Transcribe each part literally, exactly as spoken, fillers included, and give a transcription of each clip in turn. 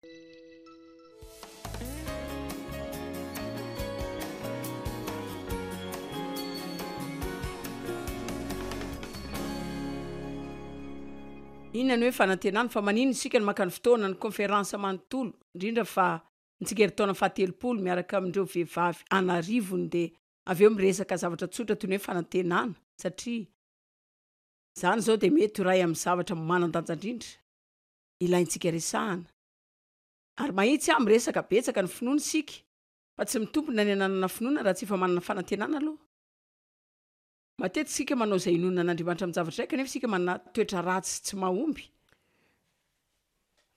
Inona ny hoe fanantenana? Fa maninona isika no maka ny fotoana, ny conférence manontolo, indrindra fa ny tsingerin-taona fahatelopolo miaraka amin'ireo vehivavy an'arivony, dia avy eo miresaka zavatra tsotra toy ny hoe fanantenana, satria izany izao dia mety ho iray amin'ny zavatra manan-danja indrindra ilaintsika resahana. Ary mahitsy aho miresaka betsaka ny finoana isika, fa tsy mitombina ny ananana finoana raha tsy efa manana fanantenana aloha. Matetika isika manao izay inoana an'Andriamanitra amin'ny-javatra iray, kanefa isika manana toetra ratsy sy tsy mahomby.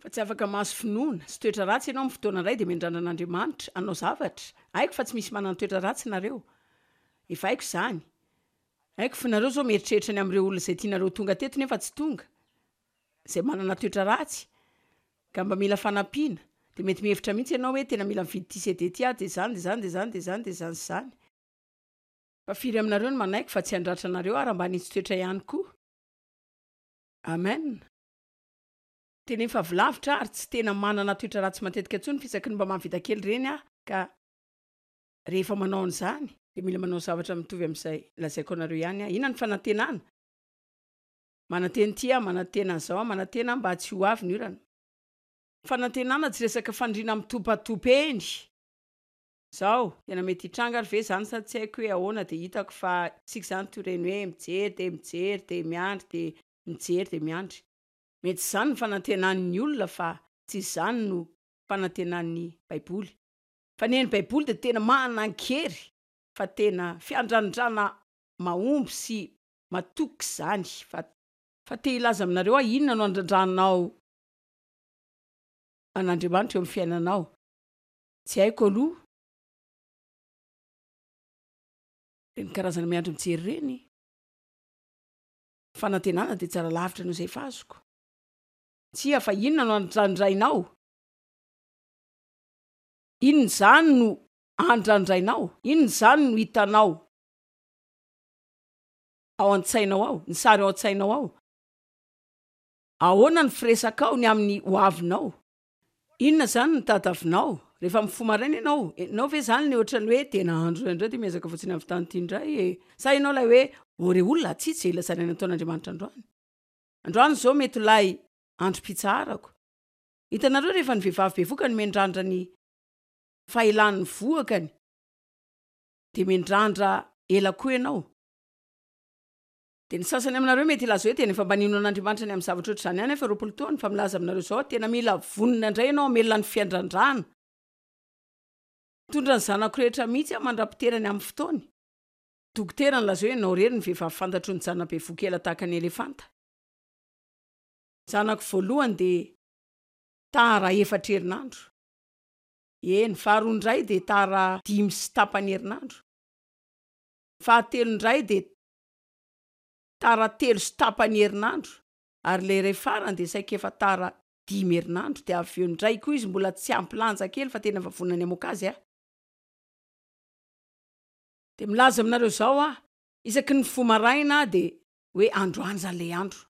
Fa tsy afaka mahazo finoana sy toetra ratsy ianao amin'ny fotoana iray dia miandrandra an'Andriamanitra hanao zavatra. Haiko fa tsy misy manana toetra ratsy nareo. Efa haiko izany. Haiko fa nareo izao mieritreritra ny amin'ireo olona izay tianareo ho tonga teto nefa tsy tonga, izay manana toetra ratsy, ka mba mila fanampiana. Dia mety mihevitra mihitsy ianao hoe tena mila mividy ity C D ity aho, dia izany, dia izany, dia izany, dia izany, dia izany sy izany. Fa firy aminareo no manaiky fa tsy handratra anareo aho raha mba hanitsy toetra ihany koa? Amen. Tena efa avy lavitra aho ary tsy tena manana toetra ratsy matetika intsony fa isaky ny mba mahavita kely ireny aho, ka rehefa manao an'izany dia mila manao zavatra mitovy amin'izay lazaiko anareo ihany aho. Inona ny fanantenana? Manantena ity aho, manantena an'izao aho, manantena aho mba tsy ho avy ny orana. Fanantenana tsy resaka faniriana mitopatopy eny. Zao, tena mety hitranga ary ve izany sa tsy haiko hoe ahoana, dia hitako fa isika izany toy ireny hoe mijery dia mijery dia miandry dia mijery dia miandry. Mety izany ny fanantenan'ny olona fa tsy izany no fanantenan'ny Baiboly. Fa ny an'ny Baiboly dia tena manan-kery fa tena fiandrandrana mahomby sy matoky izany. Fa fa te hilaza aminareo aho, inona no andrandranao an'Andriamanitra eo amin'ny fiainanao? Tsy haiko aloha. Ireny karazana miandry mijery ireny. Fanantenana dia tsara lavitra noho izay efa azoko. Tsia, fa inona no andrandrainao? Inona izany no andrandrainao? Inona izany no hitanao ao an-tsainao ao? Ny sary ao an-tsainao ao? Ahoana ny firesakao ny amin'ny hoavinao? Inona izany no tadiavinao rehefa mifoha maraina ianao? Ianao ve izany ilay ohatran'ny hoe tena andro indray dia miezaka fotsiny avy tany ity indray e? Sa ianao ilay hoe ô re olona, tsy tsy ilazana ny nataon'Andriamanitra androany? Androany izao mety ho ilay androm-pitsaharako. Hitanareo, rehefa ny vehivavy bevoka no miandrandra ny fahelan'ny vohokany dia miandrandra ela koa ianao. Dia ny sasany aminareo mety hilaza hoe tena efa mba nino an'Andriamanitra ny amin'ny zavatra ohatr'izany ihany aho efa roapolo taona, fa milaza aminareo izao aho, tena mila vonona indray ianao hamelona ny fiandrandrana. Mitondra ny zanako rehetra mihitsy aho mandra-piterany amin'ny fotoany. Dokotera nilaza hoe ianao irery ny vehivavy fantatro nijanona bevoka ela tahaka ny elefanta. Zanako voalohany dia tara efatra herinandro. Eny, faharoa indray dia tara dimy sy tapany herinandro. Fahatelo indray dia tara telo sy tapany herinandro, ary ilay iray farany dia saika efa tara dimy herinandro, dia avy eo indray koa izy mbola tsy ampy lanja kely fa tena efa vonona ny hamoaka azy aho. Dia milaza aminareo izao aho, isaky ny mifoha maraina aho dia hoe androany izany ilay andro.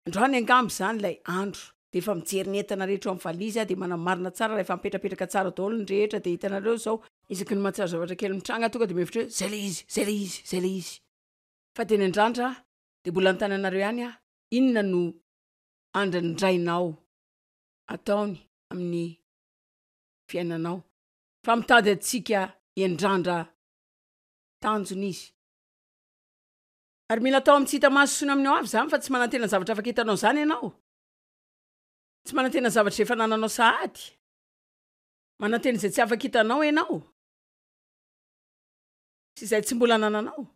Androany angamba izany ilay andro. Dia efa mijery ny entana rehetra ao amin'ny valizy aho, dia manamarina tsara raha efa mipetrapetraka tsara daholo ny rehetra, dia hitanareo izao, isaky ny mahatsiaro zavatra kely mitranga aho tonga dia mihevitra hoe izay ilay izy, izay ilay izy, izay ilay izy. Fa teny an-drandra dia mbola anontany anareo ihany aho, inona no andrandrainao ataony amin'ny fiainanao? Fa mitady antsika hiandrandra tanjona izy. Ary mila atao amin'ny tsy hita maso sy ny amin'ny ho avy izany, fa tsy manantena zavatra afaka hitanao izany ianao. Tsy manantena zavatra izay efa anananao sahady. Manantena izay tsy afaka hitanao ianao. Sy izay tsy mbola anananao.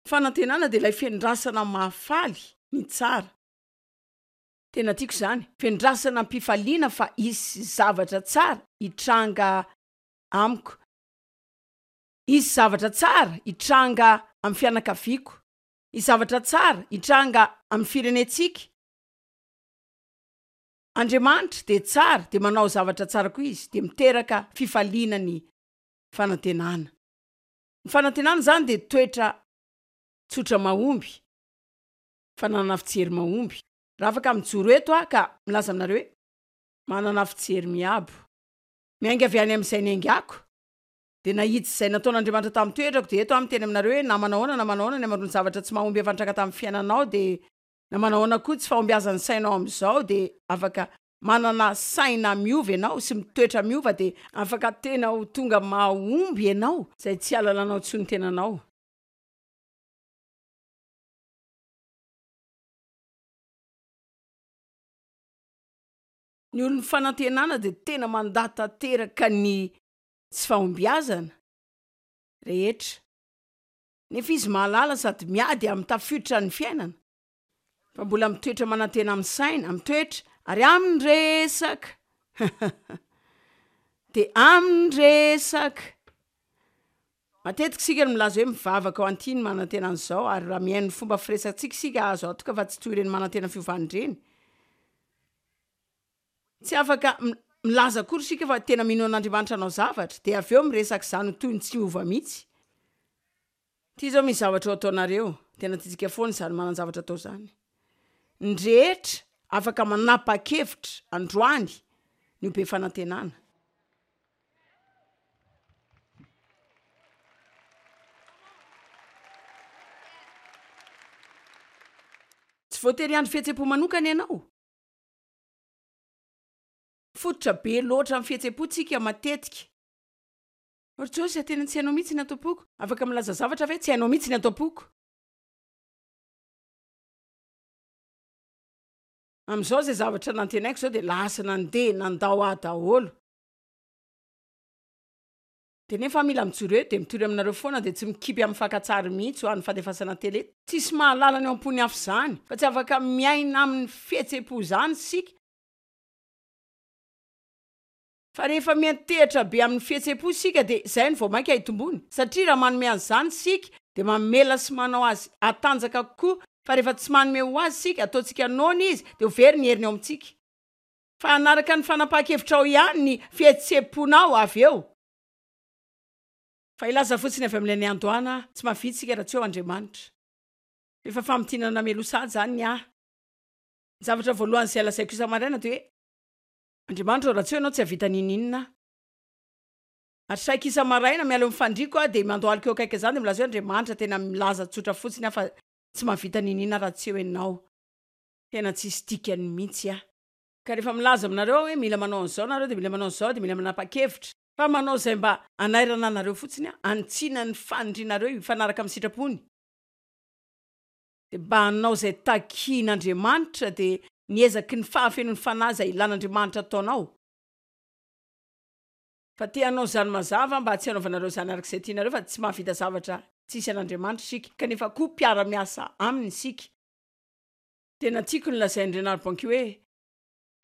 Fanantenana dia ilay fiandrasana mahafaly ny tsara. Tena tiako izany. Fiandrasana am-pifaliana fa hisy zavatra tsara hitranga amiko. Hisy zavatra tsara hitranga amin'ny fianakaviako. Hisy zavatra tsara hitranga amin'ny firenentsika. Andriamanitra dia tsara, dia manao zavatra tsara koa izy, dia miteraka fifaliana ny fanantenana. Ny fanantenana izany dia toetra tsotra mahomby, fananana fijery mahomby. Raha afaka mijoro eto aho ka milaza aminareo hoe manana fijery miabo, miainga avy any amin'izay niaingako, dia nahitsy izay nataon'Andriamanitra tamin'ny toetrako, dia eto aho miteny aminareo hoe na manahoana na manahoana ny hamaroan'ny zavatra tsy mahomby efa nitranga tamin'ny fiainanao, dia na manahoana koa tsy fahombiazan'ny sainao amin'izao, dia afaka manana saina miova ianao sy mitoetra miova, dia afaka tena ho tonga mahomby ianao, izay tsy hahalalanao intsony ny tenanao. Ny olon'ny fanantenana dia tena mandà tanteraka ny tsy fahombiazana rehetra, nefa izy mahalala sady miady amin'ny tafiotra ny fiainana, fa mbola mitoetra manantena amin'ny saina, amin'ny toetra ary amin'ny resaka. Dia amin'ny resaka. Matetika isika no milaza hoe mivavaka ho an'ity ny manantena an'izao, ary raha mihaino ny fomba firesakantsika isika, azo antoka fa tsy toy ireny manantena fiovana ireny. Tsy afaka milaza akory isika fa tena mino an'Andriamanitra hanao zavatra, dia avy eo miresaka izany ho toy ny tsy miova mihitsy. Ity izao misy zavatra ho ataonareo, tena tiantsika foana izany manan-javatra atao izany. Ny rehetra afaka manapa-kevitra androany ny ho be fanantenana. Tsy voatery hiandry fihetseham-po manokana ianao. Mifototra be loatra amin'ny fihetseham-po tsika matetika. Ry Josia, tena tsy hainao mihitsy ny ato am-poko. Afaka milaza zavatra ve? Tsy hainao mihitsy ny ato am-poko. Amin'izao izay zavatra nantenaiko izao dia lasa nandeha nandao ahy daholo. Dia nefa mila mijoro eo dia mitory aminareo foana dia tsy mikipy amin'ny fakan-tsary mihitsy ho an'ny fandefasana tele. Tsisy mahalala ny ao am-pon'ny hafa izany fa tsy afaka miaina amin'ny fihetsem-po izany isika. Fa rehefa miantehitra be amin'ny fihetsem-po isika dia izay no vao mainka hitombony satria raha manome an'izany isika dia mamela sy manao azy hatanjaka kokoa fa rehefa tsy manome ho azy isika, ataontsika noana izy dia ho very ny heriny ao amintsika. Fa hanaraka ny fanapahan-kevitrao ihany ny fihetsem-ponao avy eo. Fa hilaza fotsiny avy amin'ilay niandohana aho, tsy mahavita isika raha tsy eo Andriamanitra. Efa famintinana mialoha sahady izany ny ahy. Ny zavatra voalohany izay lazaiko isa-maraina dia hoe, Andriamanitra ô, raha tsy eo Ianao tsy hahavita n'inon'inona aho. Ary saika isa-maraina miala eo amin'ny fandriako aho dia mandohalika eo akaiky an'izany dia milaza hoe, Andriamanitra, tena milaza tsotra fotsiny aho fa tsy mahavita n'inon'inona raha tsy eo Ianao. Tena tsisy dikany mihitsy aho. Ka rehefa milaza aminareo aho hoe mila manao an'izao nareo dia mila manao an'izao dia mila manapa-kevitra. Fa manao izay mba hanairana anareo fotsiny aho, hanitsiana ny fanirianareo hifanaraka amin'ny sitrapony. Dia mba hanao izay takian'Andriamanitra dia ny ezaky ny fahafenoan'ny Fanahy izay ilan'Andriamanitra ataonao. Fa te hanao izany mazava aho mba tsy hanaovanareo izany araka izay tianareo fa tsy mahavita zavatra tsisy an'Andriamanitra isika kanefa koa mpiara-miasa Aminy isika. Tena tiako ny lazain'i Reinhard Bonnke hoe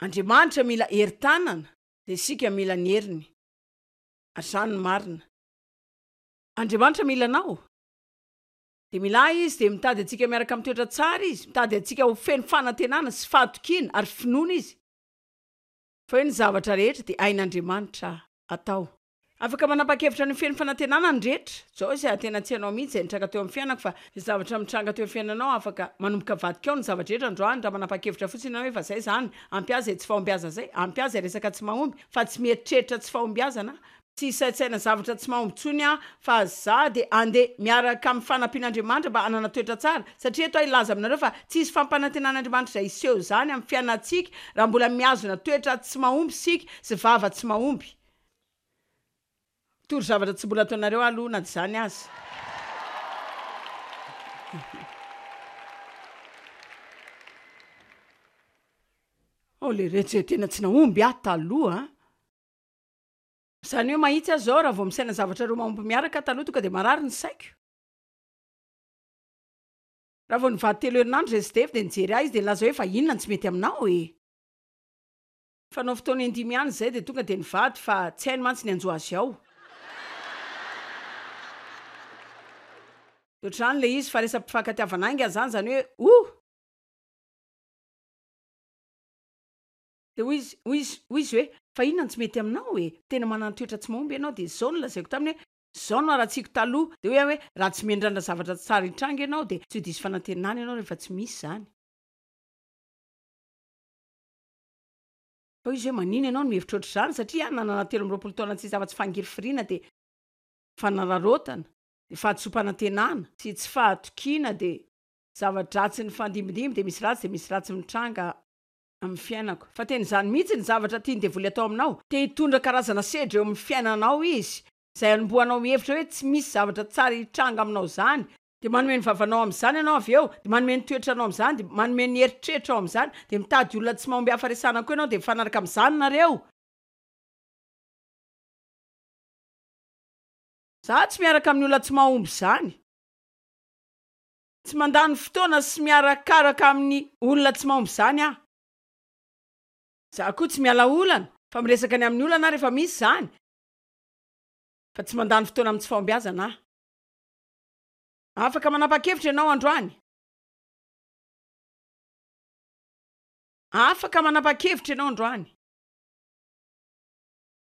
Andriamanitra mila herin-tanana dia isika mila ny heriny. Ary izany no marina. Andriamanitra mila anao. Dia mila ahy Izy, dia mitady antsika miaraka amin'ny toetra tsara Izy, mitady antsika ho feno fanantenana sy fahatokiana ary finoana Izy. Fa hoe ny zavatra rehetra dia hain'Andriamanitra atao. Afaka manapa-kevitra ny ho feno fanantenana ny rehetra. Zao izay tena tsy hainao mihitsy izay nitranga teo amin'ny fiainako fa izay zavatra mitranga teo amin'ny fiainanao afaka manomboka avadika ao ny zava-drehetra androany raha manapa-kevitra fotsiny ianao hoe efa zay izany, ampy ahy izay tsy fahombiazana izay, ampy ahy izay resaka tsy mahomby fa tsy mieritreritra tsy fahombiazana aho, tsy hisaintsaina zavatra tsy mahomby intsony aho fa za dia andeha miaraka amin'ny fanampian'Andriamanitra mba hanana toetra tsara satria eto aho hilaza aminareo fa tsy hisy fampanantenan'Andriamanitra izay hiseho izany amin'ny fiainantsika raha mbola mihazona toetra tsy mahomby isika sy vava tsy mahomby. Mitory zavatra tsy mbola ataonareo aho aloha na dia izany aza. Oh leretsy e, tena tsy nahomby aho taloha an! Izany hoe mahitsy aho izao raha vao misaina zavatra roa mahomby miaraka aho taloha tonga dia marary ny saiko. Raha vao nivady telo herinandro izay sy Dave dia nijery ahy izy dia nilaza hoe fa inona no tsy mety aminao e? Fanao fotoana indimy ihany izay dia tonga dia nivady fa tsy hainy mantsy ny hanjo azy ao. Dia ohatr'izany ilay izy fa resa-pifankatiavana haingana izany, izany hoe oh! Dia hoy izy, hoy izy, hoy izy hoe, fa inona no tsy mety aminao e? Tena manana toetra tsy mahomby ianao. Dia izao no lazaiko taminy hoe, izao no haratsiako taloha. Dia hoy aho hoe, raha tsy miandrandra zavatra tsara hitranga ianao dia tsy ho diso fanantenana ianao rehefa tsy misy izany. Fa hoy izy hoe manino ianao no mihevitra ohatr'izany satria aho nanana telo amby roapolo taona tsy afa-tsy fangirifiriana dia fanararaotana dia fahadisoam-panantenana sy tsy fahatokiana dia zava-dratsy nifandimbindimby dia misy ratsy dia misy ratsy mitranga amin'ny fiainako. Fa tena izany mihitsy ny zavatra tian'ny devoly atao aminao. Te hitondra karazana sedra eo amin'ny fiainanao izy, izay hanombohanao mihevitra hoe tsy misy zavatra tsara hitranga aminao izany. Dia manome ny vavanao amin'izany ianao avy eo, dia manome ny toetranao amin'izany, dia manome ny eritreritrao amin'izany, dia mitady olona tsy mahomby hafa resahana koa ianao, dia mifanaraka amin'izany nareo. Za tsy miaraka amin'ny olona tsy mahomby izany. Tsy mandany fotoana sy miarakaraka amin'ny olona tsy mahomby izany aho. Za koa tsy miala olana fa miresaka ny amin'ny olana aho rehefa misy izany fa tsy mandany fotoana amin'ny tsy fahombiazana aho. Afaka manapa-kevitra ianao androany. Afaka manapa-kevitra ianao androany.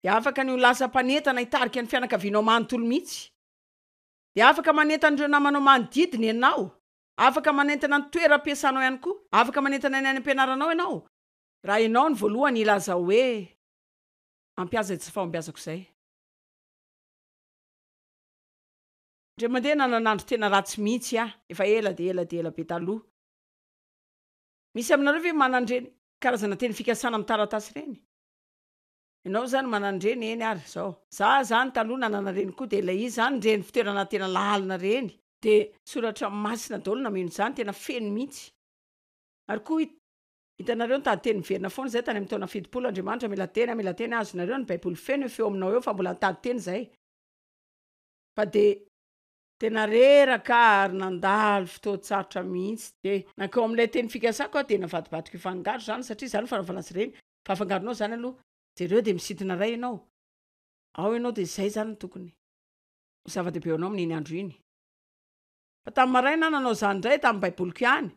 Dia afaka ny ho lasa mpanentana hitarika ny fianakavianao manontolo mihitsy. Dia afaka manentana ireo namanao manodidina ianao. Afaka manentana ny toeram-piasanao ihany koa. Afaka manentana ny any am-pianaranao ianao. Raha ianao no voalohany hilaza hoe, Ampy ahy izay tsy fahombiazako izay. Indray mandeha nanana andro tena ratsy mihitsy aho, efa ela dia ela dia ela be taloha. Misy aminareo ve manana ireny karazana teny fikasana amin'ny taratasy ireny? Ianao izany manana ireny, eny ary izao. Za izany taloha nanana ireny koa, dia ilay izy izany ireny fitoerana tena lalina ireny. Dia soratra masina daholo nameno izany, tena feno mihitsy. Ary koa hitanareo nitady teny miverina foana izay tany amin'ny taona fitopolo, Andriamanitra mila teny, mila teny, azonareo ny baiboly feno io feo aminao eo fa mbola nitady teny izay. Fa dia tena reraka aho ary nandalo fotoan-tsarotra mihitsy. Dia nankao amin'ilay teny fikasako aho dia navadibadiko hifangaro izany satria izany no fanaovana azy ireny. Fa afangaronao izany aloha. Jereo dia misintona iray ianao. Ao ianao dia izay izany no tokony ho zava-dehibe ho anao amin'iny andro iny. Fa tamin'ny maraina aho nanao izany indray tamin'ny baiboliko ihany.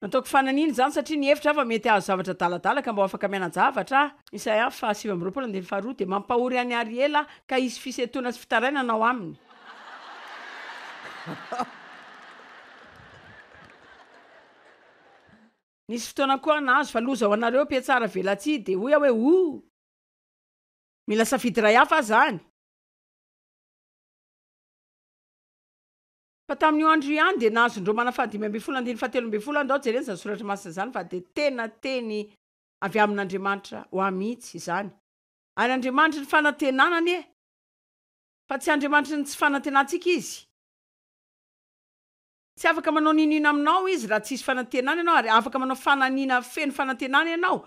Nataoko fananina izany satria nihevitra aho fa mety hahazo zavatra adaladala ka mba ho afaka miana-javatra aho. Isaia faha sivy amby roapolo andininy faharoa dia mampahory an'i Ariela ka hisy fisentoana sy fitarainana ao aminy. Nisy fotoana koa aho nahazo fa loza ho anareo mpiatsara velatsihy dia hoy aho hoe oh! Mila safidy iray hafa aho izany. Fa tamin'io andro io ihany dia nahazo ny Romana fahadimy ambin'ny folo andininy fahatelo ambin'ny folo aho, ndao jerena izany soratra masina izany fa dia tena teny avy amin'Andriamanitra ho ahy mihitsy izany. Ary Andriamanitry ny fanantenana anie, fa tsy Andriamanitry ny tsy fanantenantsika Izy. Tsy afaka manao n'inon'inona aminao Izy raha tsisy fanantenana ianao, ary afaka manao fananiana feno fanantenana ianao.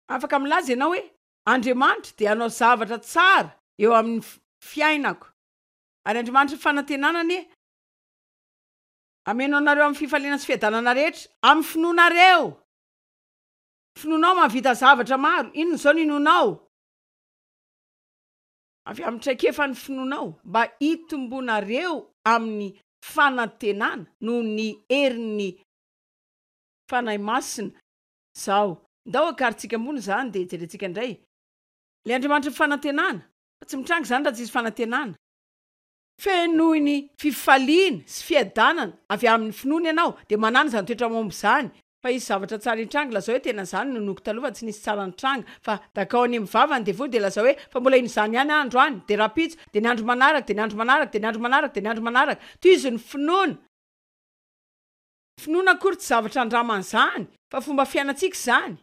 Afaka milaza ianao hoe, Andriamanitra dia hanao zavatra tsara eo amin'ny fiainako. Ary Andriamanitry ny fanantenana anie hameno anareo amin'ny fifaliana sy fiadanana rehetra, amin'ny finoanareo. Finoanao mahavita zavatra maro. Inona izao no inoanao? Avy amin'ny traikefan'ny finoanao, mba hitombonareo amin'ny fanantenana noho ny herin'ny Fanahy Masina. Izao, ndao akarintsika ambony izany dia jerentsika indray. Ilay Andriamanitry ny fanantenana. Fa tsy mitranga izany raha tsy hisy fanantenana. Fenoy ny fifaliana sy fiadanana avy amin'ny finoana ianao, dia manàna izany toetra mahomby izany. Fa hisy zavatra tsara hitranga, lazao hoe tena izany no ninoako taloha fa tsy nisy tsara nitranga, fa dakao any amin'ny vava ny devoly dia lazao hoe fa mbola hino izany ihany aho androany, dia rahampitso, dia ny andro manaraka, dia ny andro manaraka, dia ny andro manaraka, dia ny andro manaraka. Tohizo ny finoana. Finoana akory tsy zavatra andramana izany, fa fomba fiainantsika izany.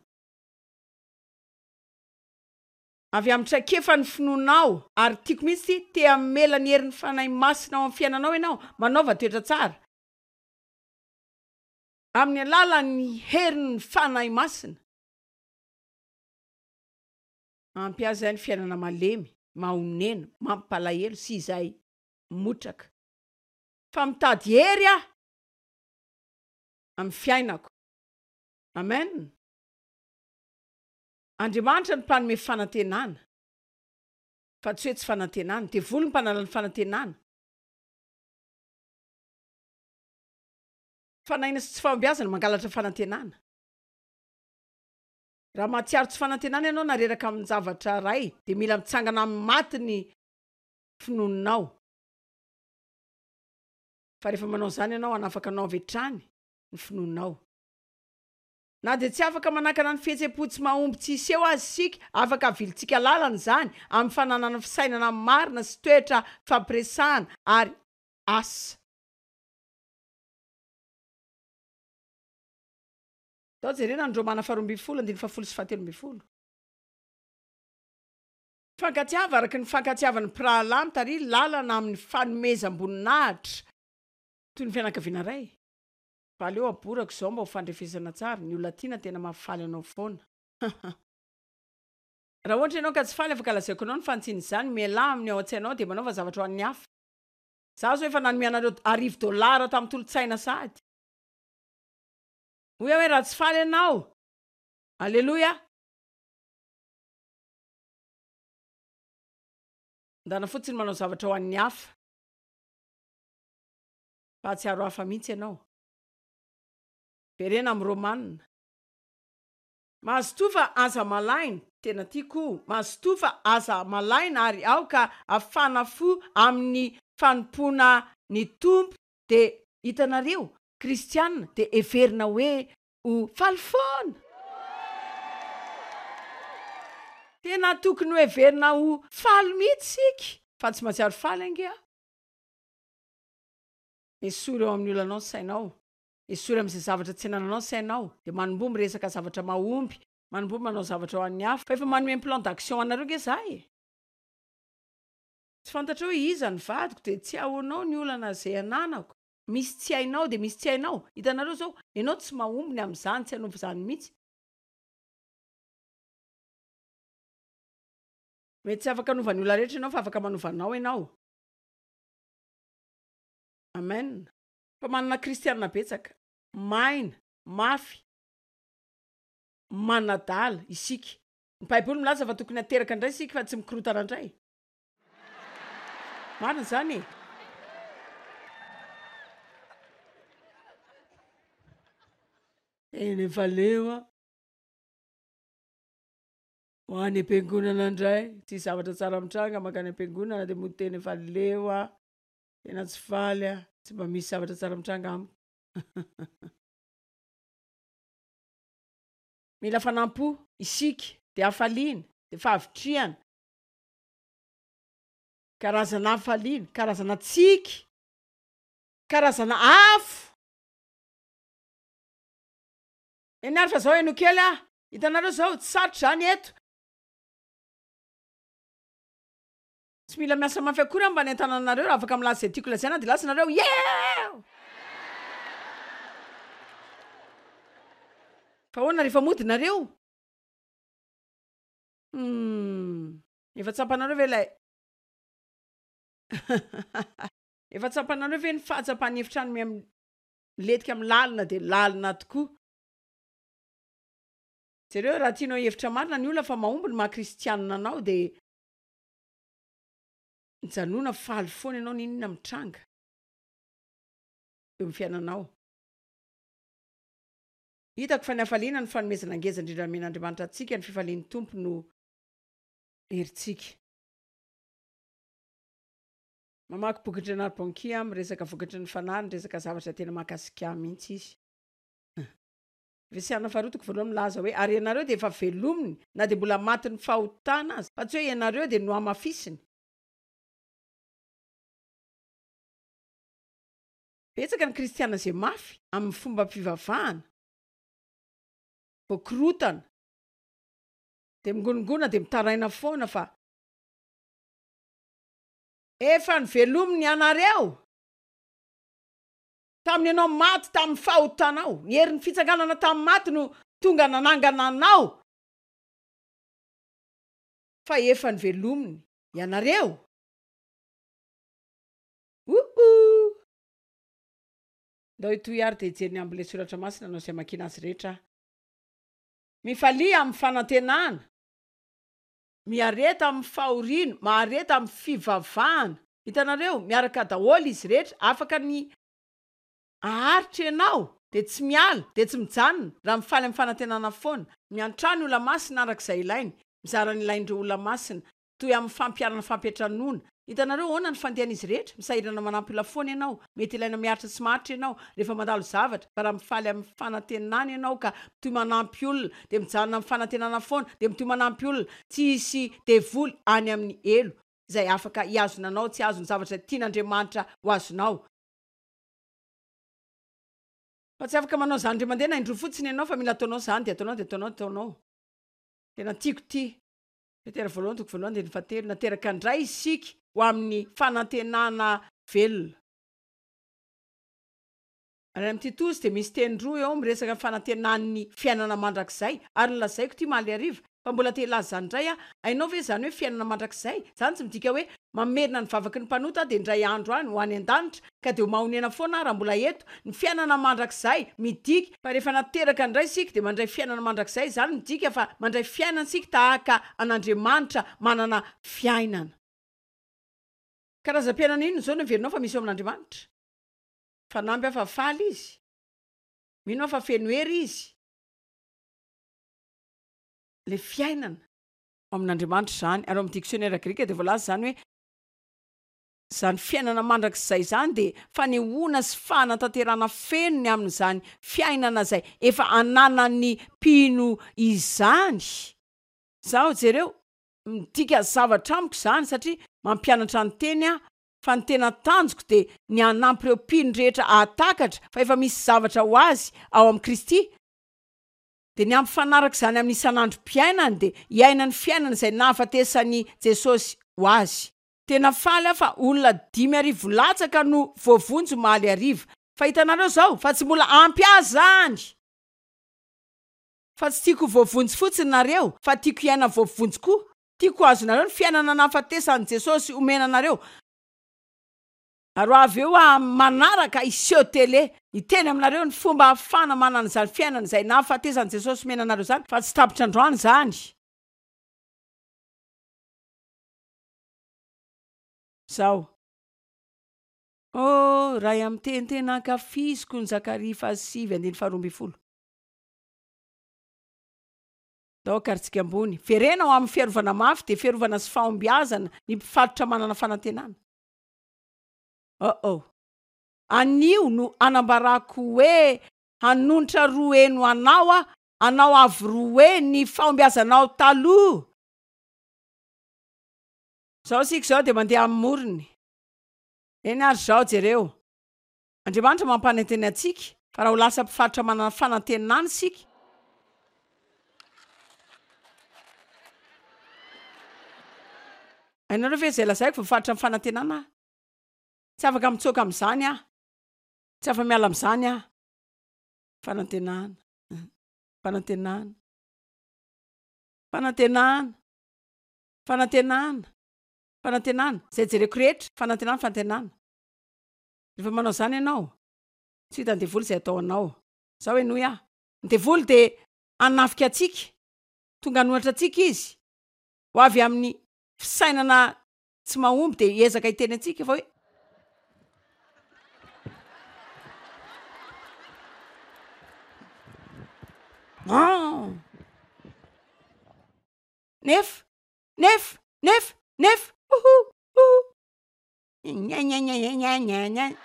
Avy amin'ny traikefan'ny finoanao, ary tiako mihitsy ity, te hamela ny herin'ny Fanahy Masina ao amin'ny fiainanao ianao, manaova toetra tsara. Amin'ny alalan'ny herin'ny Fanahy Masina. Ampy ahy izay ny fiainana malemy, mahonena, mampalahelo sy izay motraka. Fa mitady hery aho amin'ny fiainako. Amen. Andriamanitra no mpanome fanantenana, fa tsy hoe tsy fanantenana. Devoly no mpanala ny fanantenana. Fanahiana sy tsy fahombiazana mangalatra fanantenana. Raha mahatsiaro tsy fanantenana ianao na reraka amin-javatra iray, dia mila mitsangana amin'ny maty ny finoanao. Fa rehefa manao izany ianao, hanafaka anao avy hatrany ny finoanao. Na dia tsy afaka manakana ny fihetseham-po tsy mahomby tsy hiseho aza isika, afaka avilintsika lalana izany amin'ny fananana fisainana marina sy toetra fampiresahana ary asa. Tao jerena ny Romana faharoa ambin'ny folo andininy fahafolo sy fahatelo ambin'ny folo. Mifankatiava araka ny fankatiavan'ny mpirahalahy mitariha lalana amin'ny fanomezam-boninahitra toy ny fianakaviana iray. Fa aleo aborako izao mba ho fandrefesana tsara, ny olona tiana tena mahafaly anao foana. Raha ohatra ianao ka tsy faly afaka lazaiko anao ny fanitsiana izany, mialà amin'ny ao an-tsainao dia manaova zavatra ho an'ny hafa. Za zao efa nanome anareo arivo dolara tamin'ny tolo-tsaina sahady. Hoy aho hoe raha tsy faly ianao, aleloia. Ndana fotsiny manao zavatra ho an'ny hafa. Fa hahatsiaro hafa mihitsy ianao. Verena amin'ny Romana. Mazotoa fa aza malaina, tena tiako io, mazotoa fa aza malaina ary aoka hafana fo amin'ny fanompoana ny Tompo dia hitanareo, kristiana dia heverina hoe ho faly foana. Tena tokony ho heverina ho faly mihitsy isika, fa tsy mahatsiaro faly ange aho. Esory ao amin'ny olanao ny sainao. Esory amin'izay zavatra tsy anananao ny sainao. Dia manomboha miresaka zavatra mahomby, manomboha manao zavatra ho an'ny hafa. Fa efa manome ny plan d'action anareo ange za e! Tsy fantatrao hoe iza ny vadiko dia tsy ahoanao ny olana izay ananako. Misy tsy hainao dia misy tsy hainao. Hitanareo izao, ianao tsy mahomby ny amin'izany, tsy hanompo izany mihitsy. Mety tsy afaka hanova ny olona rehetra ianao fa afaka manova anao ianao. Amen. Fa manana kristianina betsaka, maina, mafy, manadala isika. Ny Baiboly milaza fa tokony hateraka indray isika fa tsy mikorontana indray. Marina izany e! Tena efa leo aho. Ho any am-piangonana indray, tsisy zavatra tsara mitranga mankany am-piangonana dia mody tena efa leo aho. Tena tsy faly aho, tsy mba misy zavatra tsara mitranga amiko. Mila fanampo isika, dia hafaliana, dia fahavitrihana. Karazana hafaliana, karazana tsiky, karazana afo. Eny ary fa zao henoy kely aho, hitanareo zao, tsy sarotra izany eto. Tsy mila miasa mafy akory aho mba hanentana anareo, raha afaka milaza izay tiako lazaina dia lasa nareo, Yeew! Fa ahoana rehefa mody nareo? Humm. Efa tsapanareo ve ilay Efa tsapanareo ve ny fahatsapan'ny efitrano miha milentika amin'ny lalina dia lalina tokoa? Jereo, raha tianao hihevitra marina ny olona fa mahomby ny maha kristianina anao dia mijanona faly foana ianao n'inon'inona mitranga eo amin'ny fiainanao. Hitako fa ny hafaliana no fanomezana ngeza indrindra nomen'Andriamanitra antsika, ny fifalian'ny Tompo no herintsika. Mamaky bokin-dry Renard Bonnke aho miresaka vokatry ny fanahy, niresaka zavatra tena mahakasika ahy mihitsy izy. Efesiana faharoa toko voalohany milaza hoe, Ary ianareo dia efa velominy na dia mbola matin'ny fahotana aza, fa tsy hoe ianareo dia nohamafisiny. Betsaka ny kristiana izay mafy amin'ny fombam-pivavahana, voakorotana, dia mingonongona dia mitaraina foana fa efa novelominy ianareo tamin'ny ianao maty tamin'ny fahotanao. Ny herin'ny fitsanganana tamin'ny maty no tonga nanangana anao fa efa novelominy ianareo. Ouh! Ndao hitohy ary dia hijery ny ambin'ilay soratra masina anao izay hamakiana azy rehetra aho. Mifalia amin'ny fanantenana. Miareta amin'ny fahoriana, mahareta amin'ny fivavahana. Hitanareo, miaraka daholo izy rehetra, afaka ny haharitra ianao, dia tsy miala, dia tsy mijanona, raha mifaly amin'ny fanantenana foana. Miantrano ny olona masina araka izay ilainy, mizara ny ilain'ireo olona masina, toy amin'ny fampiharana fampiantranoana, Hitanareo ahoana ny fandehan'izy rehetra? Misahirana manampy olona foana ianao. Mety ilaina miaritra sy maharitra ianao rehefa mandalo zavatra, fa raha mifaly amin'ny fanantenana ianao ka mitohy manampy olona, dia mijanona amin'ny fanantenana foana, dia mitohy manampy olona, tsy hisy devoly any amin'ny helo izay afaka hihazona anao tsy hahazo ny zavatra tian'Andriamanitra ho azonao. Fa tsy afaka manao izany indray mandeha na indroa fotsiny ianao, fa mila ataonao izany, dia ataonao, dia ataonao, dia ataonao. Tena tiako ity. Petera voalohany toko voalohany andininy fahatelo, Nateraka indray isika ho amin'ny fanantenana velona. Ary any amin'ny Titosy dia misy teny roa eo miresaka ny fanantenan'ny fiainana mandrakizay. Ary nolazaiko ity omaly hariva, fa mbola te hilaza izany indray aho. Hainao ve izany hoe fiainana mandrakizay? Izany tsy midika hoe mamerina ny vavaky ny mpanota aho dia indray andro any ho any an-danitra, ka dia ho mahonena foana aho raha mbola eto. Ny fiainana mandrakizay midika fa rehefa nateraka indray isika dia mandray fiainana mandrakizay, izany midika fa mandray fiainana isika tahaka an'Andriamanitra manana fiainana. Karazam-piainana inona izao no heverinao fa misy eo amin'Andriamanitra? Fanamby aho fa faly izy. Mino aho fa feno hery izy. Ilay fiainana. Ao amin'Andriamanitra izany. Ary ao amin'ny diksionera grika dia voalaza izany hoe izany fiainana mandrakizay izany dia fanehoana sy fanatanterahana feno ny amin'izany fiainana izay efa ananan'ny mpino izany. Izaho, jereo, midika zavatra amiko izany satria mampianatra ny teny aho fa ny tena tanjoko dia ny hanampy ireo mpino rehetra hahatakatra fa efa misy zavatra ho azy ao amin'i Kristy, dia ny hampifanaraka izany amin'ny isan'androm-piainany dia hiaina ny fiainana izay nahafatesan'i Jesosy ho azy. Tena faly aho fa olona dimy arivo latsaka no voavonjy omaly hariva. Fa hitanareo izao fa tsy mbola ampy ahy izany! Fa tsy tiako ho voavonjy fotsiny nareo fa tiako hiaina voavonjy koa. Tiako ho azonareo ny fiainana nahafatesan'i Jesosy omena anareo. Ary ho avy eo aho amin'ny manaraka hiseho tele, hiteny aminareo ny fomba ahafahana manana izany fiainana izay nahafatesan'i Jesosy omena anareo izany, fa tsy tapitra androany izany. Izao. Oh, iray amin'ny teny tena ankafiziko ny Zakaria fahasivy andininy faharoa ambin'ny folo. Ndao akarintsika ambony. Verena ho amin'ny fiarovana mafy dia fiarovana sy fahombiazana ny mpifatotra manana fanantenana. Oh oh. Anio no anambarako hoe hanonitra roa heno anao aho, anao avo roa heny ny fahombiazanao taloha. Izao isika izao dia mandeha amin'ny morony. Eny ary izao, jereo. Andriamanitra mampanantena antsika fa raha ho lasa mpifaritra manana fanantenana isika, Hainareo ve izay lazaiko? Voafaritra amin'ny fanantenana aho. Tsy afaka mitsoaka amin'izany aho. Tsy afa-miala amin'izany aho. Fanantenana. Fanantenana. Fanantenana. Fanantenana. Fanantenana. Izay jereko rehetra. Fanantenana, fanantenana. Rehefa manao izany ianao, tsy hitan'ny devoly izay atao anao. Izao henoy aho. Ny devoly dia hanafika antsika. Tonga hanohatra antsika izy. Ho avy amin'ny fisainana tsy mahomby dia hiezaka hiteny antsika fa hoe. Nefa, nefa, nefa, nefa, oho, oho. Nyanyanyanyanyanyan.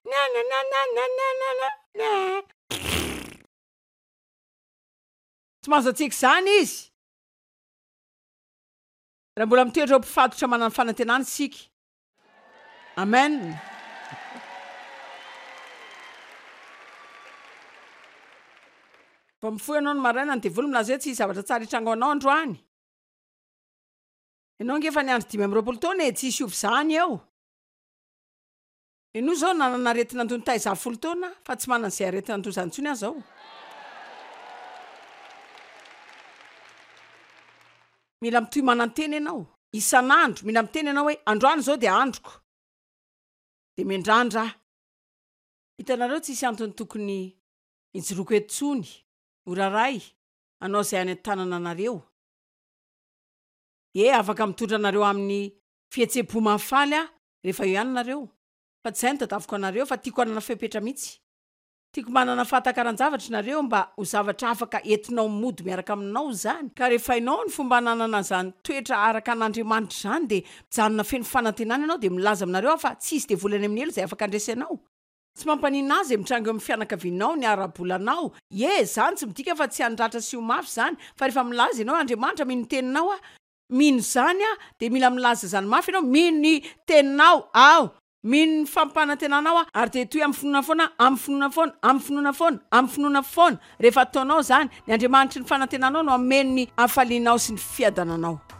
Nananananananana. Tsy mahazo antsika izany izy. Raha mbola mitoetra ho mpifatotra manana fanantenana isika. Amen. Vao mifoha ianao ny maraina, ny devoly milaza hoe tsy hisy zavatra tsara hitranga ho anao androany. Ianao ange efa niandry dimy amby roapolo taona e, tsy hisy hiova izany eo. Ianao izao nanana aretina andoha nitaiza ahy folo taona aho, fa tsy manana izay aretina andoha izany intsony aho izao. Mila mitohy manantena ianao, isan'andro, mila miteny ianao hoe androany izao dia androko, dia miandrandra aho. Hitanareo, tsisy antony tokony hijoroako eto intsony, ho raray, hanao izay any an-tanana anareo. Ie, afaka mitondra anareo amin'ny fihetseham-po mahafaly aho rehefa eo ihany nareo, fa tsy izay no tadiaviko anareo, fa tiako hanana fepetra mihitsy. Tiako manana fahatakaran-javatra nareo mba ho zavatra afaka entinao mody miaraka aminao izany. Ka rehefa hainao ny fomba hananana an'izany toetra araka an'Andriamanitra izany dia mijanona feno fanantenana ianao dia milaza aminareo aho fa tsy hisy devoly any amin'ny helo izay afaka handresy anao. Tsy mampaninona ahy izay mitranga eo amin'ny fianakavianao, ny ara-bolanao. Ie, izany tsy midika fa tsy handratra sy ho mafy izany, fa rehefa milaza ianao hoe Andriamanitra mino ny teninao aho, mino izany aho, dia mila milaza izany mafy ianao, mino ny teninao aho. Mino ny fampanantenanao aho, ary dia hitohy amin'ny finoana foana, amin'ny finoana foana, amin'ny finoana foana, amin'ny finoana foana. Rehefa ataonao izany, ny Andriamanitry ny fanantenanao no hameno ny hafalianao sy ny fiadananao.